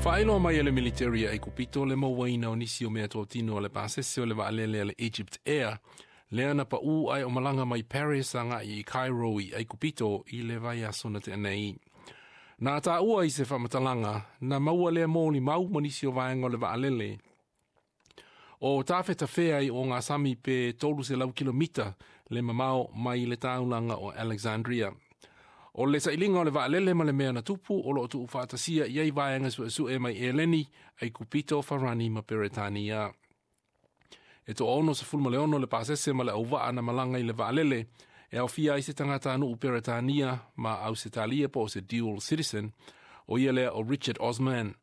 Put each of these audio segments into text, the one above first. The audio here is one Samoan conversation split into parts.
Faailoa mai e le military a Aikupito le mauaina o nisi o meatotino a le pasese o le vaalele a le Egypt Air, lea na pau ae o malaga mai Paris agai i Cairo i Aikupito i le vaiaso na tea nei. Na taua i se faamatalaga, na maua lea molimau ma nisi o vaega o le vaalele o tafetafea i ogasami pe 300 kilomita le mamao mai le taulaga o Alexandria. O le sailiga o le vaalele ma le mea na tupu o loo tuufaatasia i ai vaega suesue mai Eleni, Aikupito, Farani ma Peretania. E 66 le pasese ma le auvaa na malaga i le vaalele, e aofia ai se tagatanuu Peretania ma Ausetalia po o se dual citizen, o ia lea o Richard Osman.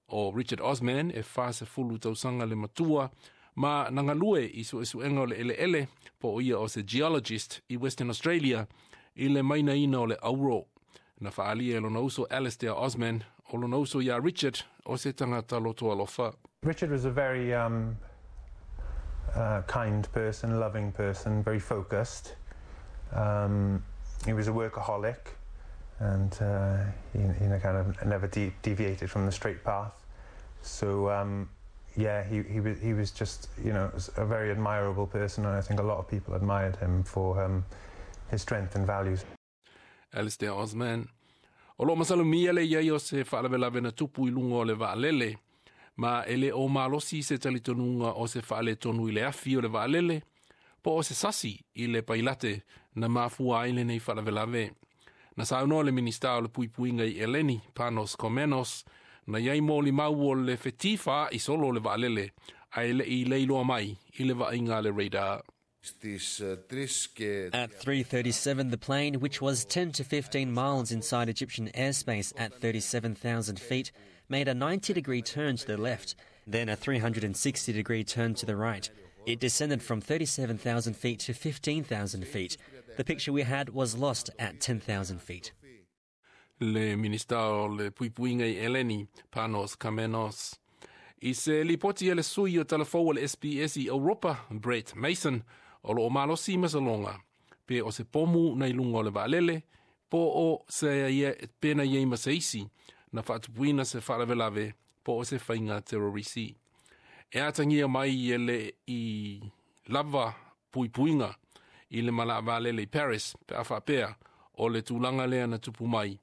O Richard Osman e 40 tausaga le matua, ma na galue i suesuega o le eleele po o ia o se geologist i Western Australia i le mainaina o le auro. Na faaalia e lona uso Alistair Osman, o lona uso iā Richard o se tagata loto alofa. Richard was a very kind person, loving person, very focused. He was a workaholic and he kind of never deviated from the straight path. So yeah, he was just a very admirable person, and I think a lot of people admired him for his strength and values. Alistair Osman. O lo masalomia le iai o se faalavelave na tupu i luga o le vaalele, ma e le o malosi se talitonuga o se faaletonu i le afi o le vaalele, po o se sasi i le pailate na mafua ai lenei faalavelave. Na saunoa le Minista o le Puipuiga i Eleni, Panos Kammenos, na iai molimau o le fetifaai solo o le vaalele, ae le i leiloa mai i le vaaiga a le radar. Στις 3 και At 3:37, the plane, which was 10 to 15 miles inside Egyptian airspace at 37,000 feet, made a 90-degree turn to the left, then a 360-degree turn to the right. It descended from 37,000 feet to 15,000 feet. The picture we had was lost at 10,000 feet. Le Minista o le Puipuiga i Eleni, Panos Kammenos. I se lipoti a le sui o talafou o le SBS i Europa, Brett Mason, o lo o malosi masaloga, pe o se pomu na i luga o le vaalele, po o se ia, pe na iai ma se isi, na faatupuina se faalavelave, po o se faiga terrorisi. E atagia mai e le i lava puipuiga i le malaevaalele i Paris, pe a faapea, o le tulaga lea na tupu mai,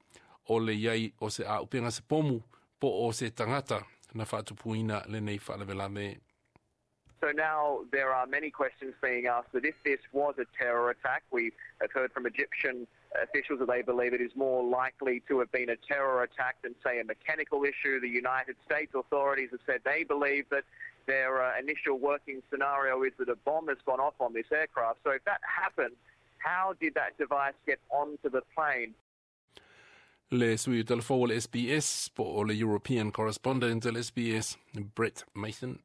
o le iai o se auupega se pomu, po o se tagata na faatupuina lenei faalavelave. So now there are many questions being asked that if this was a terror attack, we have heard from Egyptian officials that they believe it is more likely to have been a terror attack than, say, a mechanical issue. The United States authorities have said they believe that their initial working scenario is that a bomb has gone off on this aircraft. So if that happened, how did that device get onto the plane? Le sui o talafou o le SBS po o le European correspondent o le SBS, Brett Mason.